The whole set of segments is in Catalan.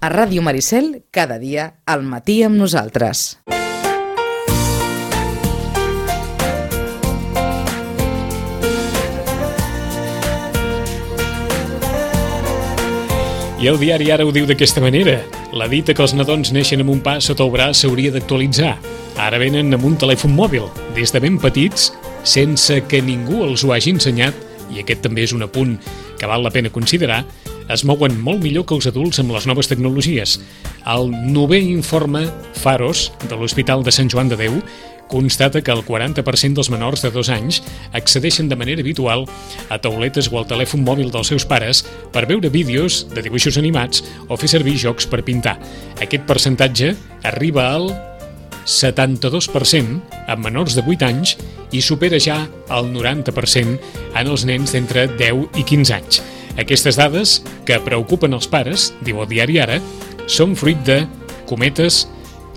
A Ràdio Maricel, cada dia al matí amb nosaltres. I el diari Ara ho diu d'aquesta manera. La dita que els nadons neixen amb un pas sota el braç s'hauria d'actualitzar. Ara venen amb un telèfon mòbil, des de ben petits, sense que ningú els ho hagi ensenyat, i aquest també és un apunt que val la pena considerar, es mouen molt millor que els adults amb les noves tecnologies. El 9è informe Pharos de l'Hospital de Sant Joan de Déu constata que el 40% dels menors de 2 anys accedeixen de manera habitual a tauletes o al telèfon mòbil dels seus pares per veure vídeos de dibuixos animats o fer servir jocs per pintar. Aquest percentatge arriba al 72% amb menors de 8 anys i supera ja el 90% en els nens d'entre 10 i 15 anys. Aquestes dades, que preocupen els pares, diu el diari Ara, són fruit de, cometes,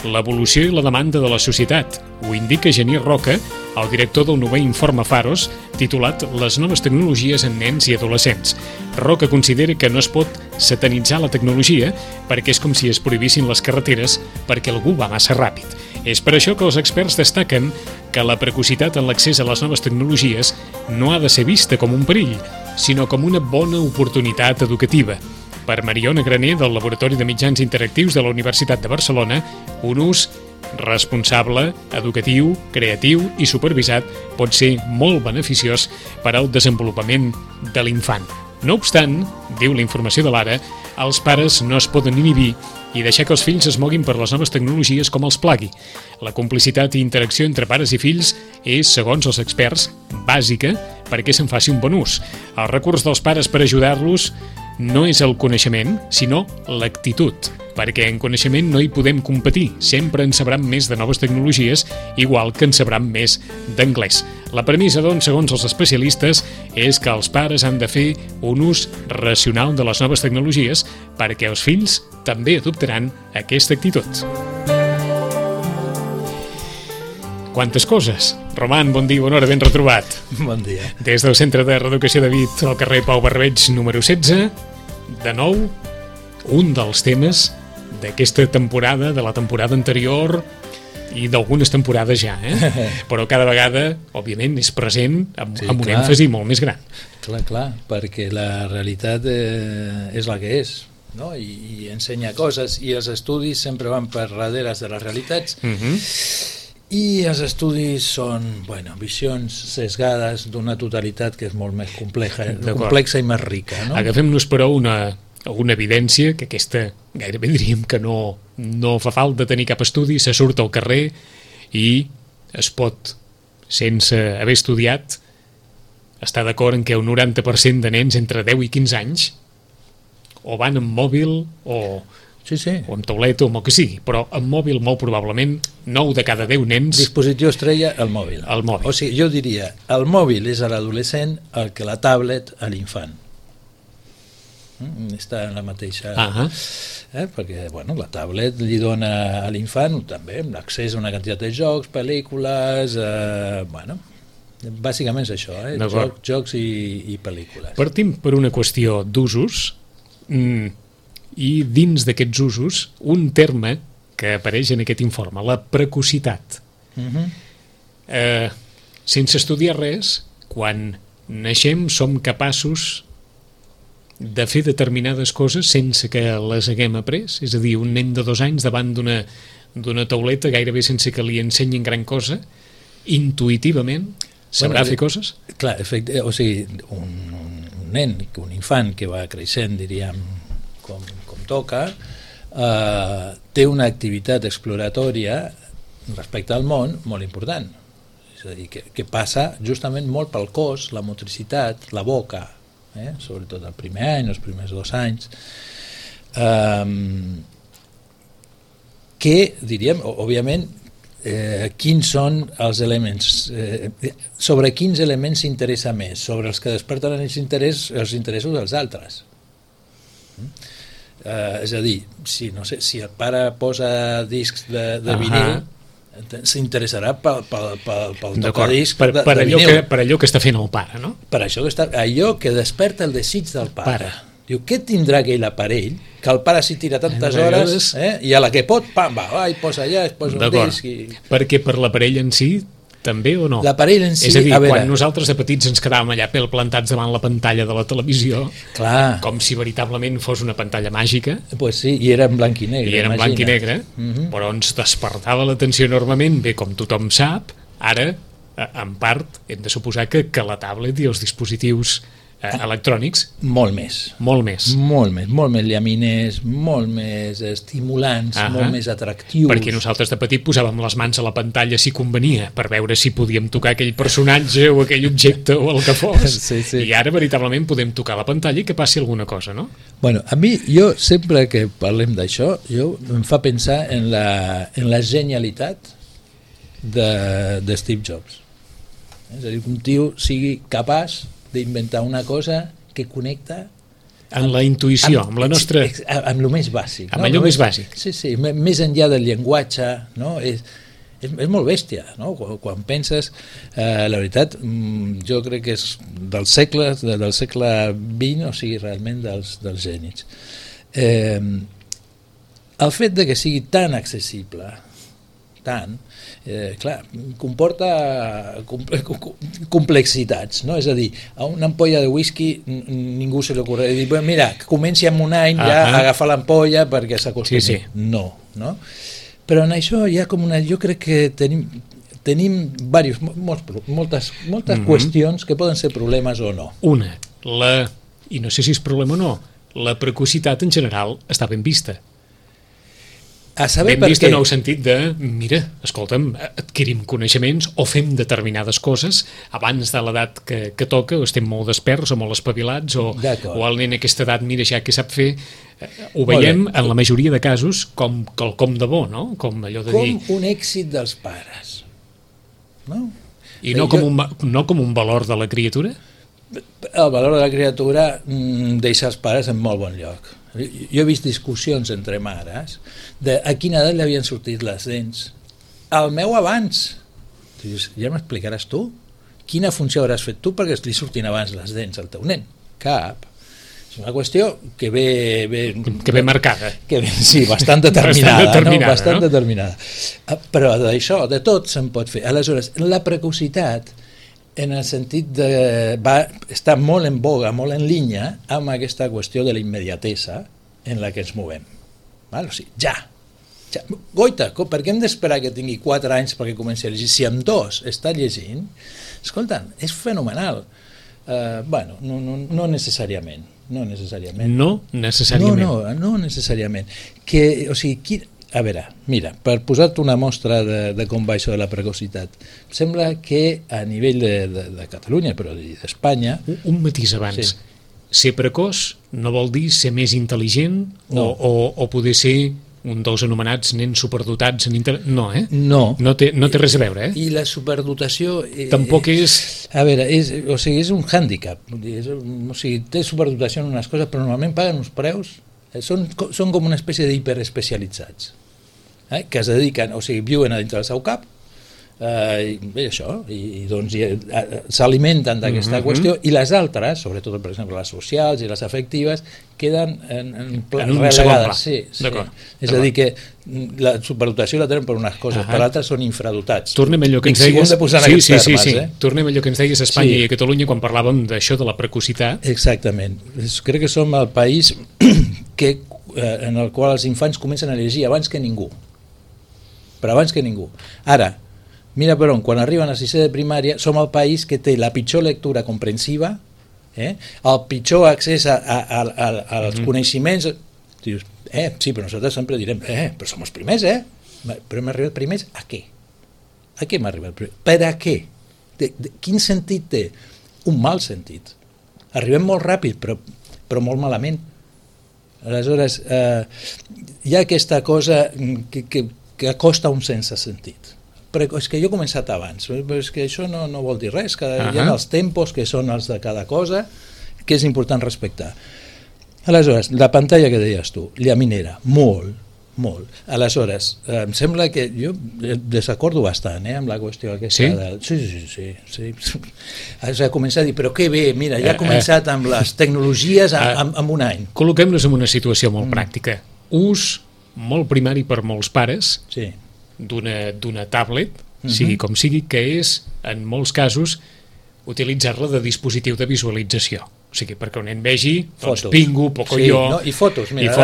l'evolució i la demanda de la societat. Ho indica Genís Roca, el director del 9è informe Pharos, titulat Les noves tecnologies en nens i adolescents. Roca considera que no es pot satanitzar la tecnologia perquè és com si es prohibissin les carreteres perquè algú va massa ràpid. És per això que els experts destaquen que la precocitat en l'accés a les noves tecnologies no ha de ser vista com un perill, sinó com una bona oportunitat educativa. Per Mariona Graner, del Laboratori de Mitjans Interactius de la Universitat de Barcelona, un ús responsable, educatiu, creatiu i supervisat pot ser molt beneficiós per al desenvolupament de l'infant. No obstant, diu la informació de l'Ara, els pares no es poden inhibir i deixar que els fills es moguin per les noves tecnologies com els plagui. La complicitat i interacció entre pares i fills és, segons els experts, bàsica perquè se'n faci un bon ús. El recurs dels pares per ajudar-los no és el coneixement, sinó l'actitud, perquè en coneixement no hi podem competir, sempre en sabran més de noves tecnologies, igual que en sabran més d'anglès. La premissa, doncs, segons els especialistes, és que els pares han de fer un ús racional de les noves tecnologies perquè els fills també adoptaran aquesta actitud. Quantes coses! Roman, bon dia, bona hora, ben retrobat. Bon dia. Des del Centre de Reeducació de Vic, al carrer Pau Barberbeig, número 16, de nou, un dels temes d'aquesta temporada, de la temporada anterior i d'algunes temporades ja, però cada vegada, òbviament, és present amb un èmfasi molt més gran. Clar, perquè la realitat és la que és, no? I ensenya coses, i els estudis sempre van per darrere de les realitats, i els estudis són visions sesgades d'una totalitat que és molt més complexa i més rica, no? Agafem-nos, però, una evidència, que aquesta gairebé diríem que no fa falta tenir cap estudi, se surt al carrer i es pot, sense haver estudiat, estar d'acord en que un 90% de nens entre 10 i 15 anys o van amb mòbil o amb tauleta o amb el que sigui, però amb mòbil molt probablement 9 de cada 10 nens... Dispositiu estrella, el mòbil. O sigui, jo diria, el mòbil és a l'adolescent el que la tablet a l'infant. Està en la mateixa... Perquè la tablet li dona a l'infant també l'accés a una quantitat de jocs, pel·lícules... bàsicament és això, jocs i pel·lícules. Partim per una qüestió d'usos, i dins d'aquests usos un terme que apareix en aquest informe, la precocitat. Sense estudiar res, quan naixem som capaços de fer determinades coses sense que les haguem après, és a dir, un nen de 2 anys davant d'una tauleta gairebé sense que li ensenyin gran cosa, intuïtivament sabrà fer coses? Clar, o sigui, un nen, un infant que va creixent, diríem, com toca, té una activitat exploratòria respecte al món molt important. És a dir, que passa justament molt pel cos, la motricitat, la boca, sobretot el primer any, els primers 2 anys, que, diríem, òbviament, quins són els elements, sobre quins elements s'interessa més, sobre els que desperten els interessos dels altres. És a dir, si el pare posa discs de vinil, s'interessarà pel tocadisc per allò que està fent el pare, no? Per allò que desperta el desig del pare. Diu, què tindrà aquell aparell que el pare s'hi tira tantes hores, i a la que pot, pam, va, i posa allà, es posa un disc... Perquè per l'aparell en si, també o no? L'aparell en si... És a dir, quan nosaltres de petits ens quedàvem allà pel plantats davant la pantalla de la televisió, clar, com si veritablement fos una pantalla màgica... Pues sí, i era en blanc i negre. I era en blanc i negre, però ens despertava l'atenció enormement. Bé, com tothom sap, ara, en part, hem de suposar que la tablet i els dispositius electrònics... Molt més llaminers, molt més estimulants, molt més atractius. Perquè nosaltres de petit posàvem les mans a la pantalla si convenia, per veure si podíem tocar aquell personatge o aquell objecte o el que fos. Sí. I ara veritablement podem tocar la pantalla i que passi alguna cosa, no? Bueno, a mi, jo sempre que parlem d'això, em fa pensar en la genialitat de Steve Jobs. És a dir, que un tio sigui capaç d'inventar una cosa que connecta en la intuïció, amb la nostra... amb el més bàsic. Amb allò més bàsic. Sí, més enllà del llenguatge, no? És molt bèstia, no? Quan penses, la veritat, jo crec que és del segle XX, o sigui, realment dels gènies. El fet de que sigui tan accessible, clar, comporta complexitats, no? És a dir, a una ampolla de whisky ningú se li ocorre dir, mira, que comenci amb un any ja a agafar l'ampolla perquè s'acostumi. Sí. No? Però en això hi ha com jo crec que tenim moltes qüestions que poden ser problemes o no. I no sé si és problema o no, la precocitat en general està ben vista. Ben vist en el sentit de, mira, escolta'm, adquirim coneixements o fem determinades coses abans de l'edat que toca, o estem molt desperts o molt espavilats, o el nen a aquesta edat, mira ja què sap fer. Ho veiem en la majoria de casos com quelcom de bo, no? Com allò de dir... Com un èxit dels pares, no? I no com un valor de la criatura? El valor de la criatura deixa els pares en molt bon lloc. Jo he vist discussions entre mares de a quina edat li havien sortit les dents. El meu abans. Dius, ja m'explicaràs tu? Quina funció hauràs fet tu perquè li surtin abans les dents al teu nen? Cap. És una qüestió que ve marcada. Sí, bastant determinada. Bastant determinada. Però d'això, de tot se'n pot fer. Aleshores, la precocitat en el sentit de... està molt en boga, molt en línia amb aquesta qüestió de la immediatesa en la que ens movem. O sigui, ja. Goita, per què hem d'esperar que tingui 4 anys perquè comenci a llegir? Si amb 2 està llegint, escolta, és fenomenal. Bueno, no necessàriament. No necessàriament. No necessàriament. O sigui, a veure, mira, per posar-te una mostra de com va això de la precocitat, sembla que a nivell de Catalunya, però d'Espanya... Un matís abans. Sí. Ser precoç no vol dir ser més intel·ligent o poder ser un dels anomenats nens superdotats en No, No té res a veure, I la superdotació... Tampoc és... A veure, és un hàndicap. O sigui, té superdotació en unes coses, però normalment paguen uns preus... Són com una espècie d'hiperespecialitzats. Que es dediquen, o sigui, viuen a dintre del seu cap, i això, i doncs s'alimenten d'aquesta qüestió, i les altres, sobretot, per exemple, les socials i les afectives, queden en relegades. Sí. És a dir, que la superdotació la tenen per unes coses, per altres són infradotats. Tornem allò que ens deies... Tornem allò que ens deies a Espanya i a Catalunya quan parlàvem d'això de la precocitat. Exactament. Crec que som el país en el qual els infants comencen a llegir abans que ningú. Però abans que ningú. Ara, mira per on, quan arriben a 6è de primària, som el país que té la pitjor lectura comprensiva, el pitjor accés als coneixements. Dius, sí, però nosaltres sempre direm, però som els primers, però hem arribat primers a què? A què hem arribat primers? Per a què? Quin sentit té? Un mal sentit. Arribem molt ràpid, però molt malament. Aleshores, hi ha aquesta cosa que acosta un sense sentit. Però és que jo he començat abans, però és que això no vol dir res, hi ha els tempos que són els de cada cosa, que és important respectar. Aleshores, la pantalla que deies tu, llaminera, molt, molt. Aleshores, em sembla que jo desacordo bastant amb la qüestió aquesta. Sí? Sí. Has de començar a dir, però que bé, mira, ja ha començat amb les tecnologies en un any. Col·loquem-nos en una situació molt pràctica. Ús molt primari per molts pares d'una tablet, sigui com sigui, que és, en molts casos, utilitzar-la de dispositiu de visualització. O sigui, perquè un nen vegi Pingu, Pocoyo... I fotos, mira,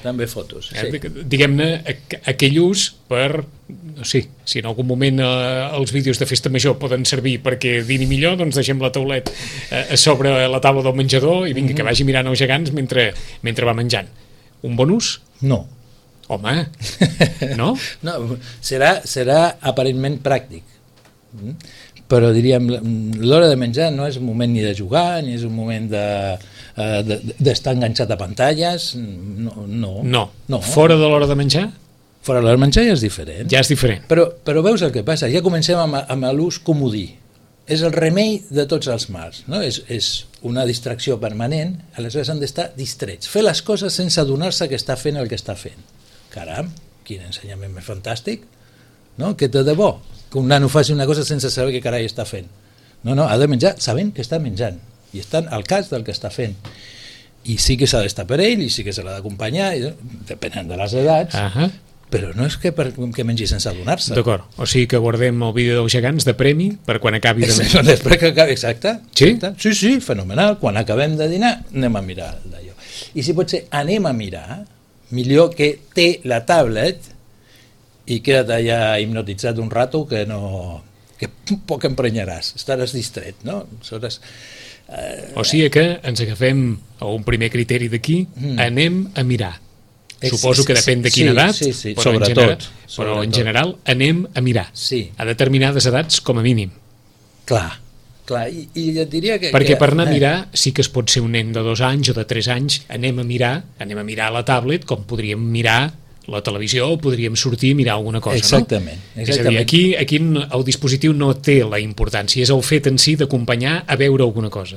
també fotos. Diguem-ne, aquell ús per... si en algun moment els vídeos de festa major poden servir perquè dini millor, doncs deixem la taulet sobre la taula del menjador i vinga, que vagi mirant els gegants mentre va menjant. Un bon ús? No. Home, no? No, serà aparentment pràctic. Però diríem, l'hora de menjar no és un moment ni de jugar, ni és un moment d'estar enganxat a pantalles, no. Fora de l'hora de menjar? Fora de l'hora de menjar ja és diferent. Ja és diferent. Però veus el que passa, ja comencem amb l'ús comodí. És el remei de tots els mals, no? És una distracció permanent, aleshores han d'estar distrets. Fer les coses sense adonar-se que està fent el que està fent. Caram, quin ensenyament més fantàstic, no? Que té de bo que un nano faci una cosa sense saber què carai està fent. No, ha de menjar sabent que està menjant i estan al cas del que està fent. I sí que s'ha d'estar per ell i sí que se l'ha d'acompanyar, depenent de les edats, però no és que mengi sense adonar-se. D'acord, o sigui que guardem el vídeo dels gegants de premi per quan acabi de menjar. Exacte. Sí? Sí, fenomenal. Quan acabem de dinar anem a mirar d'allò. I si pot ser anem a mirar, millor que té la tablet i queda't allà hipnotitzat un rato que poc emprenyaràs, estaràs distret, no? O sigui que ens agafem a un primer criteri d'aquí, anem a mirar. Suposo que depèn de quina edat, però en general anem a mirar. A determinades edats com a mínim. Clar, i et diria que... Perquè per anar a mirar sí que es pot ser un nen de 2 anys o de 3 anys, anem a mirar la tablet com podríem mirar la televisió o podríem sortir i mirar alguna cosa, exactament, no? És a dir, aquí el dispositiu no té la importància, és el fet en si d'acompanyar a veure alguna cosa.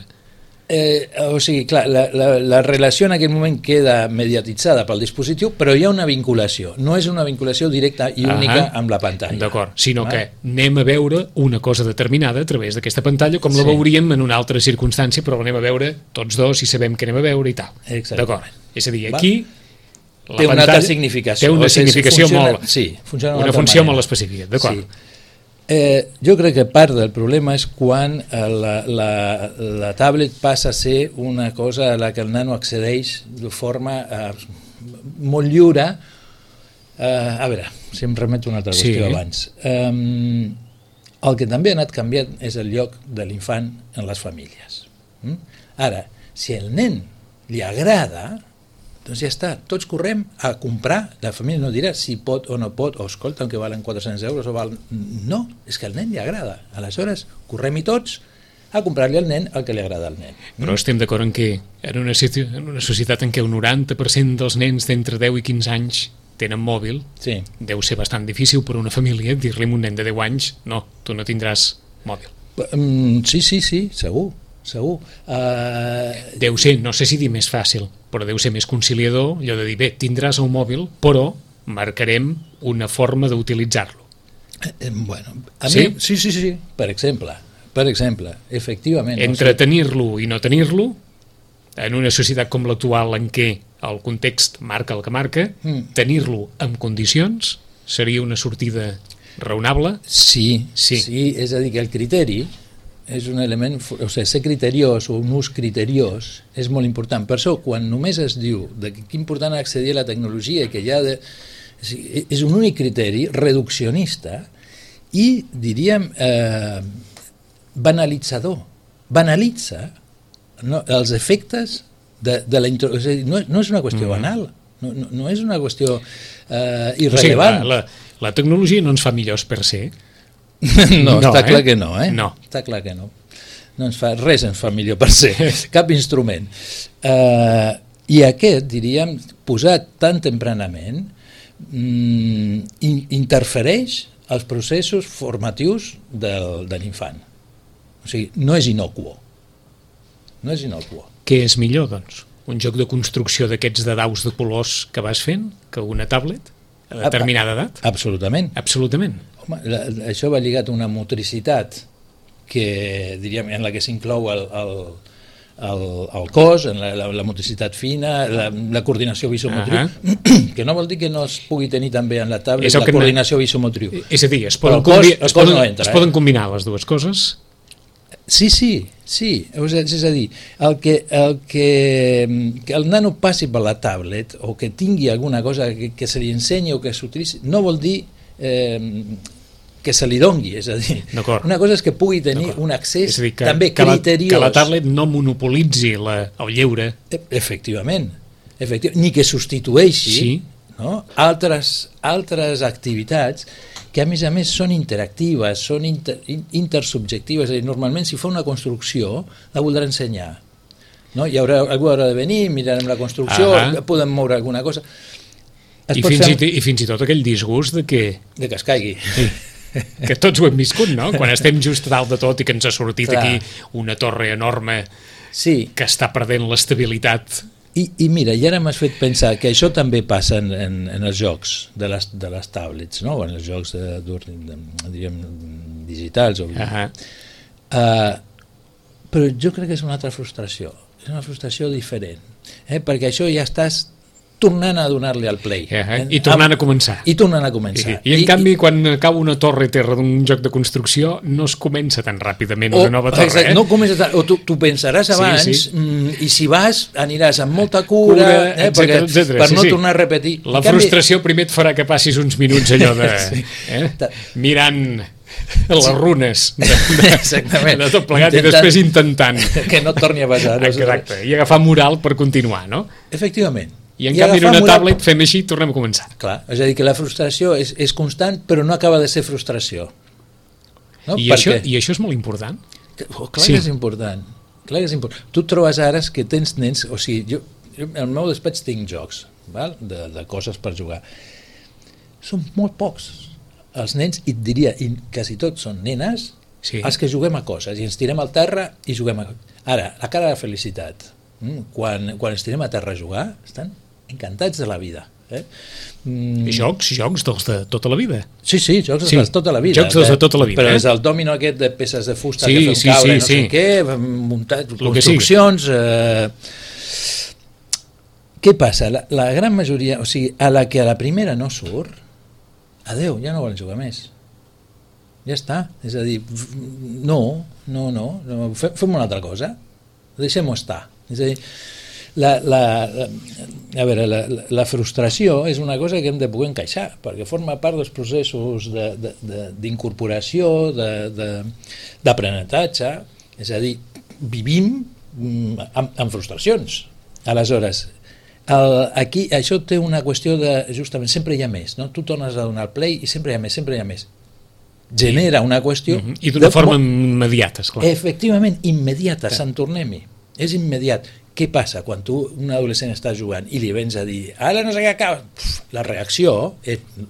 O sigui, clar, la relació en aquell moment queda mediatitzada pel dispositiu, però hi ha una vinculació, no és una vinculació directa i única amb la pantalla. D'acord, sinó que anem a veure una cosa determinada a través d'aquesta pantalla, com la veuríem en una altra circumstància, però l'anem a veure tots dos i sabem que anem a veure i tal. D'acord, és a dir, aquí... té una altra significació. Té una significació molt... una funció molt específica, d'acord. Jo crec que part del problema és quan la tablet passa a ser una cosa a la que el nano accedeix de forma molt lliure. A veure, si em remeto una altra qüestió abans. El que també ha anat canviant és el lloc de l'infant en les famílies. Ara, si el nen li agrada... doncs ja està, tots correm a comprar, la família no dirà si pot o no pot, o escolta, que valen 400 euros o val... No, és que al nen li agrada, aleshores correm-hi tots a comprar-li al nen el que li agrada al nen. Però estem d'acord en que en una societat en què el 90% dels nens d'entre 10 i 15 anys tenen mòbil, deu ser bastant difícil per una família dir-li a un nen de 10 anys no, tu no tindràs mòbil. Sí, segur. Deu ser, no sé si dir més fàcil, però deu ser més conciliador allò de dir, bé, tindràs el mòbil, però marcarem una forma d'utilitzar-lo. Bueno, mi, sí, per exemple, efectivament. Entre tenir-lo i no tenir-lo, en una societat com l'actual en què el context marca el que marca, tenir-lo en condicions seria una sortida raonable? Sí, és a dir, que el criteri és un element, o sigui, ser criteriós o un ús criteriós és molt important. Per això, quan només es diu que és important accedir a la tecnologia, que ja és un únic criteri reduccionista i, diríem, banalitzador. Banalitza els efectes de la introducció. No és una qüestió banal, no és una qüestió irrellevant. O sigui, la tecnologia no ens fa millors per ser. No, està clar que no, No. Està clar que no. Res ens fa millor per ser, cap instrument. I aquest, diríem, posat tan tempranament, interfereix als processos formatius de l'infant. O sigui, no és innocuo. Què és millor, doncs? un joc de construcció d'aquests de daus de colors que vas fent que una tablet a determinada edat? Absolutament. Absolutament. Home, això va lligat a una motricitat que, diríem, en la que s'inclou el cos, en la motricitat fina, la coordinació visomotriu, que no vol dir que no es pugui tenir també en la tablet la coordinació visomotriu. És a dir, es poden combinar les dues coses? Sí. És a dir, que el nano passi per la tablet o que tingui alguna cosa que se li ensenyi o que s'utilitzi, no vol dir que se li dongui, és a dir, una cosa és que pugui tenir un accés també criteriós. Que la tablet no monopolitzi el lleure. Efectivament, ni que substitueixi altres activities que a més són interactives, són intersubjectives, és a dir, normalment si fa una construcció la voldrà ensenyar. Hi haurà algú haurà de venir, mirarem la construcció, podem moure alguna cosa. I fins i tot aquell disgust de que es caigui. Que tots ho hem viscut, no? Quan estem just a dalt de tot i que ens ha sortit aquí una torre enorme que està perdent l'estabilitat. I mira, i ara m'has fet pensar que això també passa en els jocs de les tablets, no? O en els jocs diríem digitals. Però jo crec que és una altra frustració, és una frustració diferent, perquè això ja estàs tornant a donar-li al play. I tornant a començar. I en canvi, quan acaba una torre terra d'un joc de construcció, no es comença tan ràpidament una nova torre. Exacte, no comença o tu pensaràs abans, i si vas, aniràs amb molta cura, per no tornar a repetir. La frustració primer et farà que passis uns minuts allò de... mirant les runes de tot plegat i després intentant que no et torni a passar. Exacte, i agafar moral per continuar, no? Efectivament. I en canvi en una tablet fem així i tornem a començar. Clar, és a dir, que la frustració és constant, però no acaba de ser frustració. I això és molt important? Clar que és important. Tu et trobes ara que tens nens, o sigui, jo al meu despatx tinc jocs de coses per jugar. Són molt pocs els nens, i et diria, i quasi tots són nenes, els que juguem a coses, i ens tirem al terra i juguem a coses. Ara, la cara de felicitat, quan ens tirem a terra a jugar, estan encantats de la vida. Jocs dels de tota la vida. Sí, jocs dels de tota la vida. Jocs dels de tota la vida. Però és el dòmino aquest de peces de fusta que fem caure, no sé què, muntat, construccions... Què passa? La gran majoria, o sigui, a la que a la primera no surt, adeu, ja no volen jugar més. Ja està. És a dir, no, fem una altra cosa. Deixem-ho estar. És a dir, la frustració és una cosa que hem de poder encaixar, perquè forma part dels processos d'incorporació, d'aprenentatge, és a dir, vivim amb frustracions. Aleshores, aquí això té una qüestió de, justament, sempre hi ha més, no? Tu tornes a donar el play i sempre hi ha més. Genera una qüestió... I d'una forma immediata, esclar. Efectivament, immediata, se'n tornem-hi. És immediat. Què passa quan tu, un adolescent, està jugant i li vens a dir ara no sé què acaba? La reacció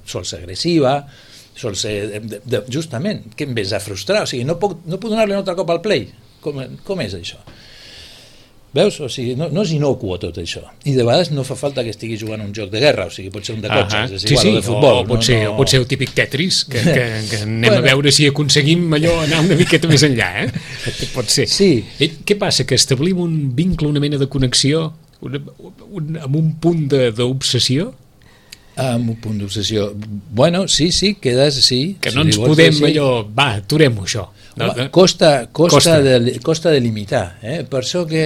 sol ser agressiva, sol ser... justament, que em vens a frustrar, o sigui, no puc donar-li un altre cop al play. Com és això? Veus? O sigui, no és inocuo tot això. I de vegades no fa falta que estigui jugant un joc de guerra, o sigui, pot ser un de cotxes, és igual, o de futbol. O pot ser el típic Tetris, que anem a veure si aconseguim allò anar una miqueta més enllà, Pot ser. Sí. Què passa? Que establim un vincle, una mena de connexió, amb un punt d'obsessió? Amb un punt d'obsessió. Bueno, sí, quedes, sí. Que no ens podem allò, va, aturem-ho això. Costa de limitar, per això que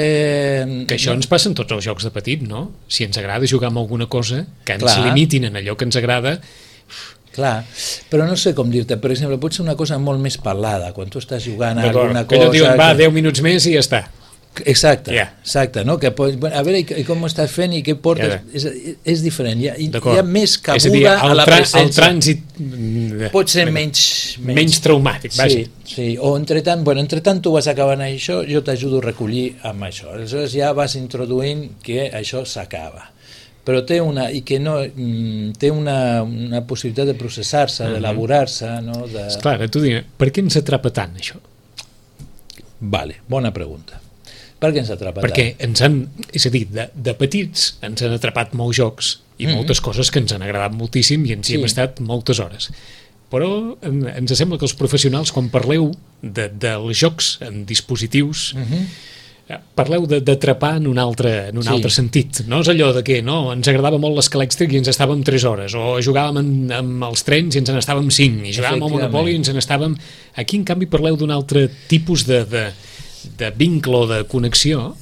això ens passa en tots els jocs de petit, no? Si ens agrada jugar amb alguna cosa, que ens limitin en allò que ens agrada. Clar, però no sé com dir-te, per exemple, pot ser una cosa molt més parlada, quan tu estàs jugant a alguna cosa... Que allò diuen, va, 10 minuts més i ja està. Exacte, no? Que a veure, i com ho estàs fent i què portes, és diferent, hi ha més cabuda a la presència. El trànsit pot ser menys traumàtic, vaja. Sí, o entretant tu vas acabant això, jo t'ajudo a recollir amb això, aleshores ja vas introduint que això s'acaba, però té una possibilitat de processar-se, d'elaborar-se, no? Esclar, tu digues, per què ens atrapa tant això? Vale, bona pregunta. Perquè ens atrapa Perquè ens han, és a dir, de petits ens han atrapat molts jocs i moltes coses que ens han agradat moltíssim i ens hi hem estat moltes hores. Però ens sembla que els professionals, quan parleu dels jocs en dispositius, parleu d'atrapar en un altre sentit. No és allò de que ens agradava molt l'escalèxtric i ens estàvem 3 hores, o jugàvem amb els trens i ens n'estàvem 5, i jugàvem al Monopoly i ens n'estàvem... Aquí, en canvi, parleu d'un altre tipus de vincle o de connexió,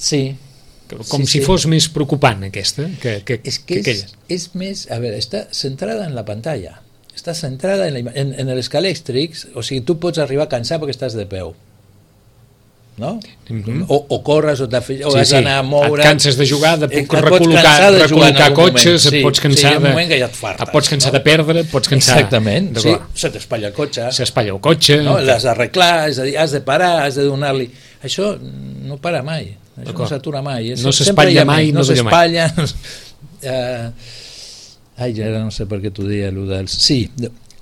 com si fos més preocupant aquesta que aquella. És més, a veure, està centrada en la pantalla, està centrada en l'escalèxtric, o sigui, tu pots arribar a cansar perquè estàs de peu, no? O corres o has d'anar a moure, et canses de jugar, de recol·locar cotxes, et pots cansar de perdre, et pots cansar, exactament, se t'espatlla el cotxe, l'has d'arreglar, és a dir, has de parar, has de donar-li, això no para mai, això no s'atura mai, no s'espatlla mai, no s'espatlla. Ja no sé per què t'ho deia allò dels... Sí,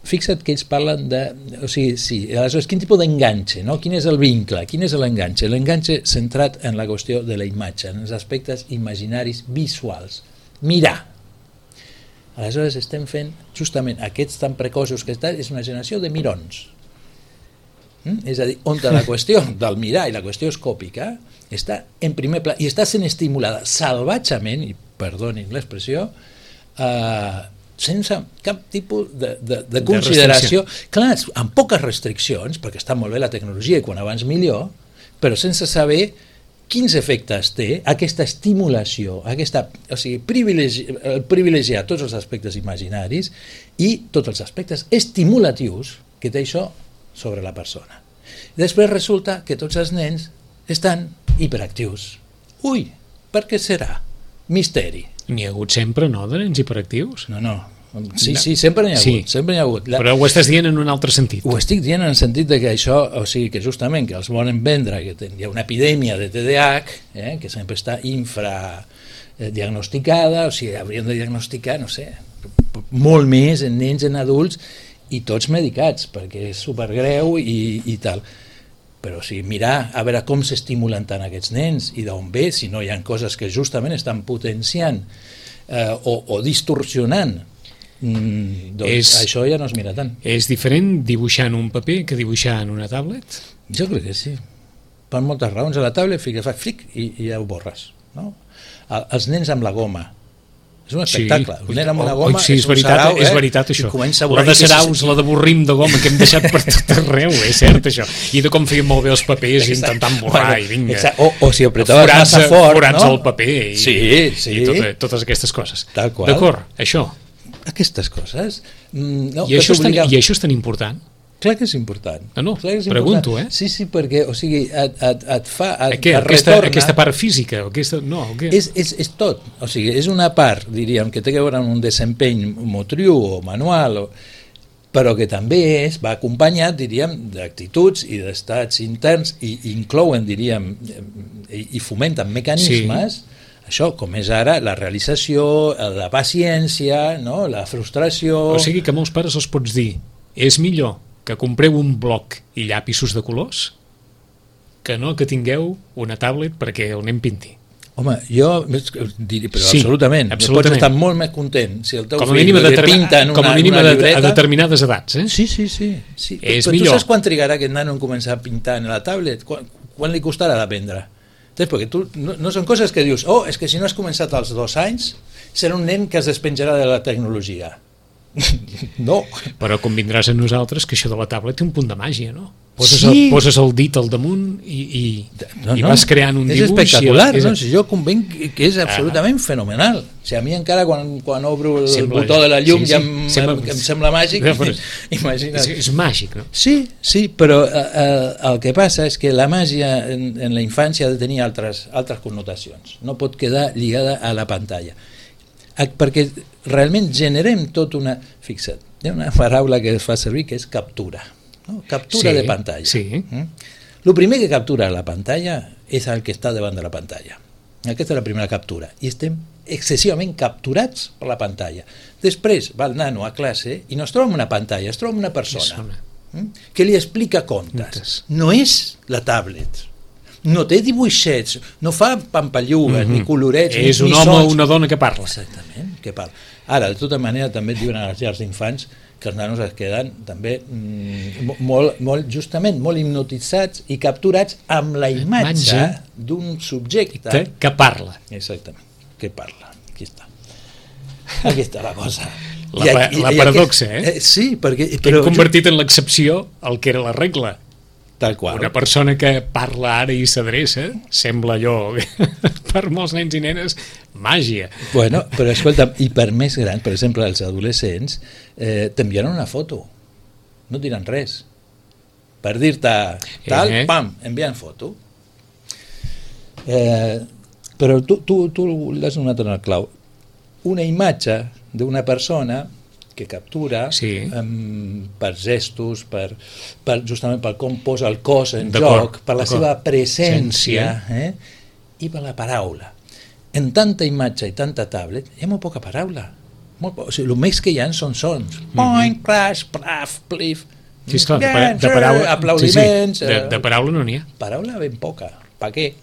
fixa't que ells parlen de... O sigui, sí, aleshores, quin tipus d'enganxe, no? Quin és el vincle? Quin és l'enganxe? L'enganxe centrat en la qüestió de la imatge, en els aspectes imaginaris visuals. Mirar. Aleshores, estem fent, justament, aquests tan precoços que estan, és una generació de mirons. És a dir, on la qüestió del mirar i la qüestió escòpica està en primer pla i està sent estimulada salvatgement, i perdonin l'expressió, sense cap tipus de consideració, clar, amb poques restriccions, perquè està molt bé la tecnologia i quan abans millor, però sense saber quins efectes té aquesta estimulació, o sigui, privilegiar tots els aspectes imaginaris i tots els aspectes estimulatius que té això sobre la persona. Després resulta que tots els nens estan hiperactius. Ui, per què serà? Misteri. N'hi ha hagut sempre, no, de nens hiperactius? No. Sí, sempre n'hi ha hagut. Sempre n'hi ha hagut. Però ho estàs dient en un altre sentit. Ho estic dient en el sentit de que això, o sigui, que justament que els volen vendre, que hi ha una epidèmia de TDAH, que sempre està infradiagnosticada, o sigui, hauríem de diagnosticar, no sé, molt més en nens, en adults, i tots medicats, perquè és supergreu i tal. Però o sigui, mirar a veure com s'estimulen tant aquests nens i d'on ve, si no hi ha coses que justament estan potenciant o distorsionant, doncs això ja no es mira tant. És diferent dibuixar en un paper que dibuixar en una tablet? Jo crec que sí. Per moltes raons. A la tablet fa fric i ja ho borres. No? Els nens amb la goma. És un espectacle. Un nen amb una goma és veritat això. La de Saraus, la de Borrim de goma que hem deixat per tot arreu, és cert això. I de com feien molt bé els papers intentant borrar i vinga. O si apretaves massa fort, forats al paper i totes aquestes coses. D'acord, això. Aquestes coses. I això és tan important? Clar que és important. No, pregunto, Sí, perquè, o sigui, et fa... Aquesta part física? És tot. O sigui, és una part, diríem, que té a veure amb un desempenyh motriu o manual, però que també va acompanyat, diríem, d'actituds i d'estats interns i inclouen, diríem, i fomenten mecanismes, això, com és ara, la realització, la paciència, no? La frustració... O sigui que molts pares els pots dir, és millor que compreu un bloc i llapisos de colors que no que tingueu una tablet perquè el nen pinti. Home, jo diria, però absolutament. Pots estar molt més content si el teu fill pinta en una llibreta. A determinades edats, Sí. Però tu saps quan trigarà aquest nano en començar a pintar en la tablet? Quan li costarà d'aprendre? Perquè tu no són coses que dius, és que si no has començat als 2 anys serà un nen que es despenjarà de la tecnologia. No. Però convindràs a nosaltres que això de la taula té un punt de màgia, no? Poses el dit al damunt i vas creant un dibuix. És espectacular, no? Jo convenc que és absolutament fenomenal. A mi encara quan obro el botó de la llum ja em sembla màgic. Imagina't. És màgic, no? Sí, però el que passa és que la màgia en la infància ha de tenir altres connotacions. No pot quedar lligada a la pantalla. Perquè realment generem tot una... Fixa't, hi ha una paraula que es fa servir que és captura. No? Captura de pantalla. El primer que captura la pantalla és el que està davant de la pantalla. Aquesta és la primera captura. I estem excessivament capturats per la pantalla. Després va el nano a classe i no es troba en una pantalla, es troba en una persona que li explica contes. No és la tablet. no té dibuixets, no fa pampallugues, ni colorets, és ni un home sons. o una dona que parla. Exactament, que parla. Ara, de tota manera, també et diuen a les llars d'infants que els nanos es queden també justament molt hipnotitzats i capturats amb la imatge d'un subjecte que parla. Exactament, que parla. Aquí està la cosa. La paradoxa, sí, perquè... Hem convertit en l'excepció el que era la regla. Tal qual. Una persona que parla ara i s'adreça sembla allò, per molts nens i nenes, màgia. Bueno, però escolta'm, i per més gran, per exemple, els adolescents t'enviaran una foto, no et diran res. Per dir-te tal, pam, enviant foto. Però tu l'has donat en el clau. Una imatge d'una persona que captura per gestos, justament per com posa el cos en joc, per la seva presència i per la paraula. En tanta imatge i tanta tablet hi ha molt poca paraula. O sigui, el més que hi ha són sons. Point, crash, plaf, plif. Sí, esclar, de paraula, aplaudiments. De paraula no n'hi ha. Paraula ben poca. Per què?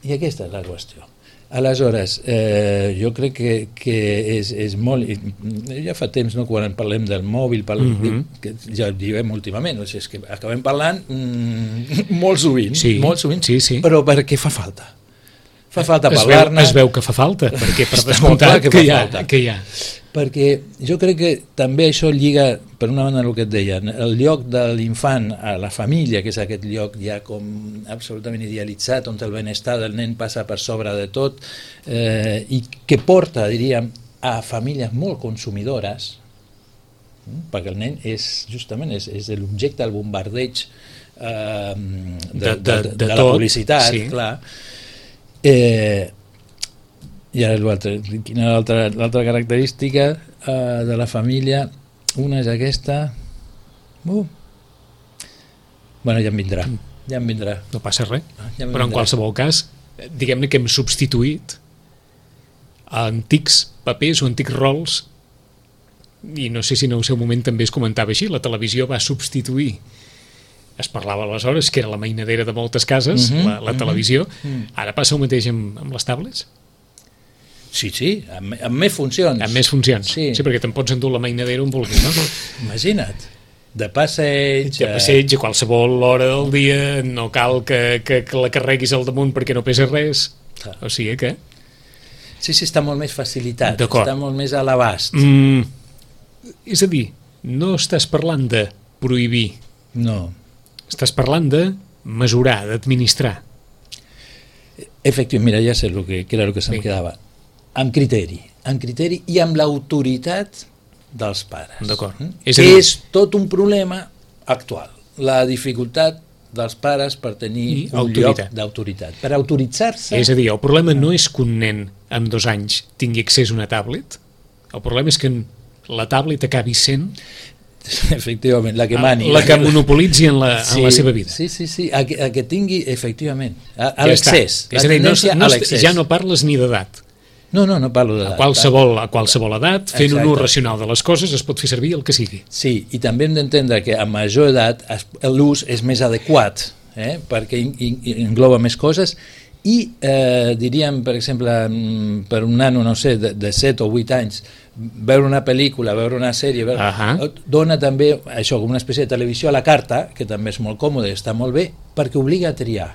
I aquesta és la qüestió. Aleshores, jo crec que és molt... Ja fa temps, no, quan parlem del mòbil, que ja ho diem últimament, és que acabem parlant molt sovint, però perquè fa falta. Fa falta parlar-ne. Es veu que fa falta, perquè per descomptat que hi ha. Perquè jo crec que també això lliga, per una banda, el que et deia, el lloc de l'infant a la família, que és aquest lloc ja com absolutament idealitzat, on el benestar del nen passa per sobre de tot, i que porta, diríem, a famílies molt consumidores, perquè el nen justament és l'objecte del bombardeig de la publicitat, clar. I ara l'altra, quina l'altra característica de la família? Una és aquesta. Bueno, ja em vindrà. No passa res, però en qualsevol cas, diguem-ne que hem substituït antics papers o antics rols, i no sé si en el seu moment també es comentava així, la televisió va substituir, es parlava aleshores que era la mainadera de moltes cases, la televisió. Ara passa el mateix amb les tablets? Sí, amb més funcions. Amb més funcions, sí, perquè te'n pots endur la mainadera on vulguis, no? Imagina't, de passeig... De passeig a qualsevol hora del dia, no cal que la carreguis al damunt perquè no pesa res, o sigui que... Sí, està molt més facilitat, està molt més a l'abast. És a dir, no estàs parlant de prohibir, no. Estàs parlant de mesurar, d'administrar. Efectivament, mira, ja sé que era el que se'm quedava. Amb criteri i amb l'autoritat dels pares. D'acord. És tot un problema actual, la dificultat dels pares per tenir un lloc d'autoritat, per autoritzar-se. És a dir, el problema no és que un nen amb 2 anys tingui accés a una tablet, el problema és que la tablet acabi sent efectivament, la que mani, la que monopolitzi en la seva vida. Sí, a que tingui efectivament a l'excés, la tendència a l'excés. Ja no parles ni d'edat. No parlo d'edat. A qualsevol edat, fent un ús racional de les coses, es pot fer servir el que sigui. Sí, i també hem d'entendre que a major edat l'ús és més adequat, perquè engloba més coses, i diríem, per exemple, per un nano, no sé, de 7 o 8 anys, veure una pel·lícula, veure una sèrie, dona també això com una espècie de televisió a la carta, que també és molt còmode, està molt bé, perquè obliga a triar.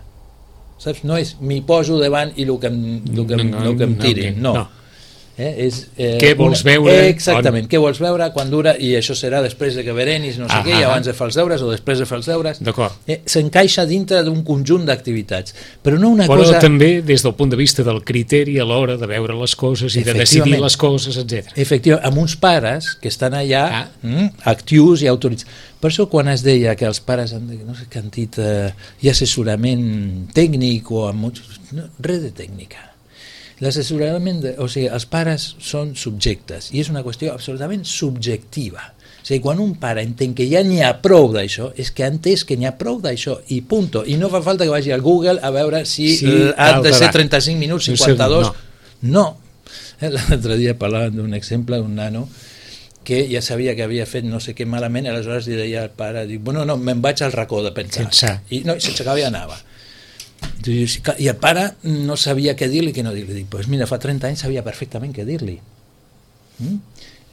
Saps? No és m'hi poso davant i el que em tirin, no. Què vols veure? Exactament, què vols veure, quan dura, i això serà després de que berenis, no sé què, i abans de fer els deures o després de fer els deures. S'encaixa dintre d'un conjunt d'activitats, però no una cosa... Però també des del punt de vista del criteri a l'hora de veure les coses i de decidir les coses, etc. Efectivament, amb uns pares que estan allà actius i autoritzats. Per això quan es deia que els pares han dit hi ha assessorament tècnic o res de tècnica. L'assessorament, o sigui, els pares són subjectes i és una qüestió absolutament subjectiva. O sigui, quan un pare entén que ja n'hi ha prou d'això, és que ha entès que n'hi ha prou d'això i punto. I no fa falta que vagi al Google a veure si ha de ser 35 minuts, 52... No. L'altre dia parlàvem d'un exemple d'un nano que ja sabia que havia fet no sé què malament, aleshores li deia al pare, bueno, no, me'n vaig al racó de pensar. I no, s'aixecava i anava. I el pare no sabia què dir-li, què no dir-li. Dic, pues mira, fa 30 anys sabia perfectament què dir-li.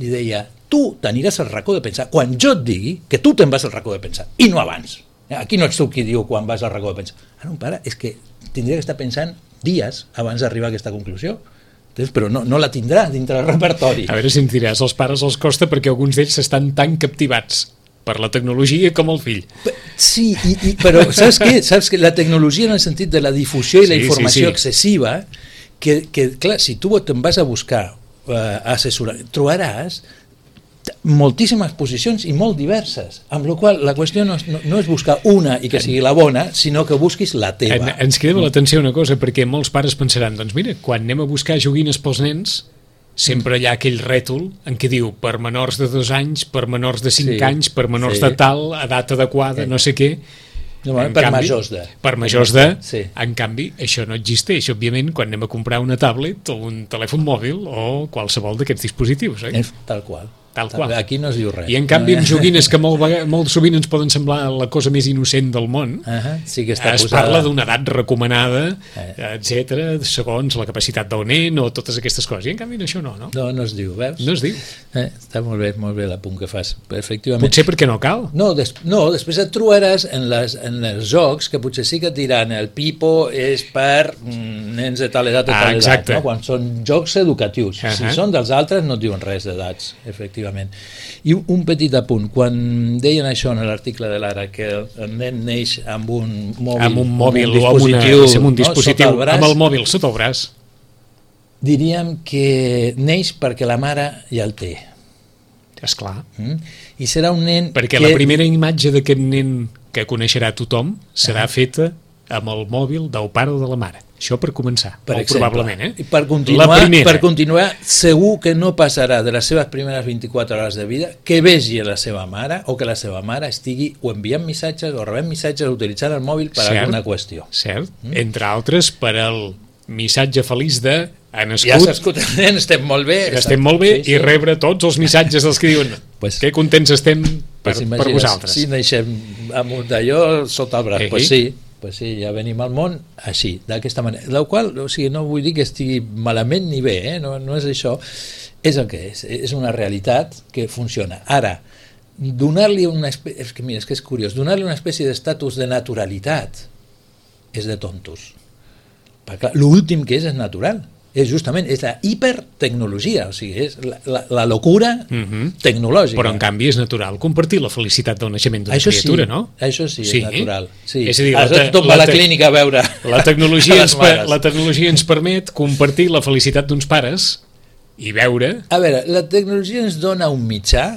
Li deia, tu t'aniràs al racó de pensar quan jo et digui que tu te'n vas al racó de pensar, i no abans. Aquí no ets tu qui diu quan vas al racó de pensar. Ara un pare és que tindria que estar pensant dies abans d'arribar a aquesta conclusió. Però no la tindrà dintre del repertori. A veure si ens diràs, als pares els costa perquè alguns d'ells estan tan captivats per la tecnologia com el fill. Sí, però saps què? Saps que la tecnologia en el sentit de la difusió i la informació excessiva, que clar, si tu te'n vas a buscar assessorar, trobaràs moltíssimes posicions i molt diverses, amb la qual la qüestió no és buscar una i que sigui la bona, sinó que busquis la teva. Ens crida l'atenció una cosa, perquè molts pares pensaran, doncs mira, quan anem a buscar joguines pels nens, sempre hi ha aquell rètol en què diu per menors de 2 anys, per menors de 5 anys, per menors de tal, edat adequada, no sé què. Per majors de. Per majors de. Sí. En canvi, això no existeix, òbviament, quan anem a comprar una tablet o un telèfon mòbil o qualsevol d'aquests dispositius. Tal qual. Tal qual. Aquí no es diu res. I en canvi amb joguines que molt sovint ens poden semblar la cosa més innocent del món, sí que està es parla d'una edat recomanada, etc, segons la capacitat del nen o totes aquestes coses, i en canvi això no. No es diu, veus? No es diu. Està molt bé l'apunt que fas, efectivament. Potser perquè no cal. No, després et trobaràs en els jocs que potser sí que et diran el pipo és per nens de tal edat o tal edat, quan són jocs educatius. Si són dels altres no et diuen res d'edats, efectivament. I un petit apunt, quan deien això en l'article de l'Ara, que el nen neix amb un mòbil o amb un dispositiu, amb el mòbil sota el braç, diríem que neix perquè la mare ja el té. Esclar. I serà un nen perquè la primera imatge d'aquest nen que coneixerà tothom serà feta amb el mòbil del pare o de la mare. Això per començar, probablement. I per continuar, segur que no passarà de les seves primeres 24 hores de vida que vegi la seva mare o que la seva mare estigui o enviant missatges o rebent missatges o utilitzant el mòbil per alguna qüestió. Cert, entre altres per el missatge feliç de ha nascut, ja s'ha escoltat, estem molt bé. Estem molt bé i rebre tots els missatges dels que diuen que contents estem per vosaltres. Si naixem amb un d'allò sota el braç, pues sí, ja venim al món així, d'aquesta manera. La qual, no vull dir que estigui malament ni bé, no és això, és el que és una realitat que funciona. Ara, donar-li una espècie, és que és curiós, donar-li una espècie d'estatus de naturalitat és de tontos. Perquè l'últim que és natural. És la hipertecnologia, o sigui, és la locura tecnològica. Però en canvi és natural compartir la felicitat del naixement d'una criatura, no? Això sí, és natural. És a dir, tothom va a la clínica a veure la tecnologia ens permet compartir la felicitat d'uns pares i veure... A veure, la tecnologia ens dona un mitjà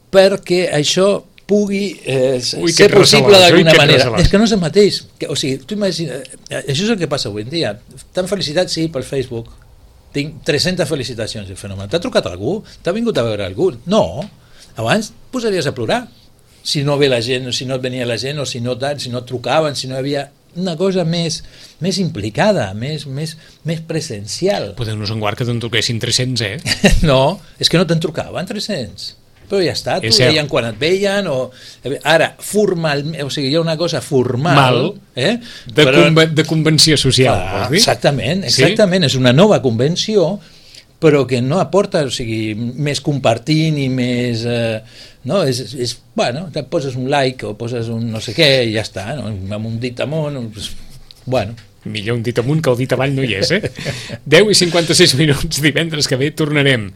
perquè això pugui ser possible d'alguna manera. És que no és el mateix. O sigui, tu imagina, això és el que passa avui en dia. Tan felicitat, sí, pel Facebook. Tinc 300 felicitacions del fenomen. T'ha trucat algú? T'ha vingut a veure algú? No. Abans posaries a plorar. Si no ve la gent, o si no et venia la gent, o si no et trucaven, si no hi havia una cosa més implicada, més presencial. Podem-nos en guard que te'n truquessin 300, No, és que no te'n trucaven 300. Però ja està, t'ho deien quan et veien ara, formalment, o sigui, hi ha una cosa formal de convenció social, vols dir? Exactament, és una nova convenció, però que no aporta, o sigui, més compartint i més et poses un like o poses un no sé què i ja està, amb un dit amunt, millor un dit amunt que el dit avall no hi és, 10:56 minuts, divendres que ve tornarem.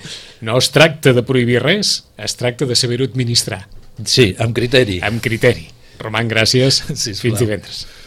No es tracta de prohibir res, es tracta de saber-ho administrar. Sí, amb criteri. Amb criteri. Roman, gràcies. Fins divendres.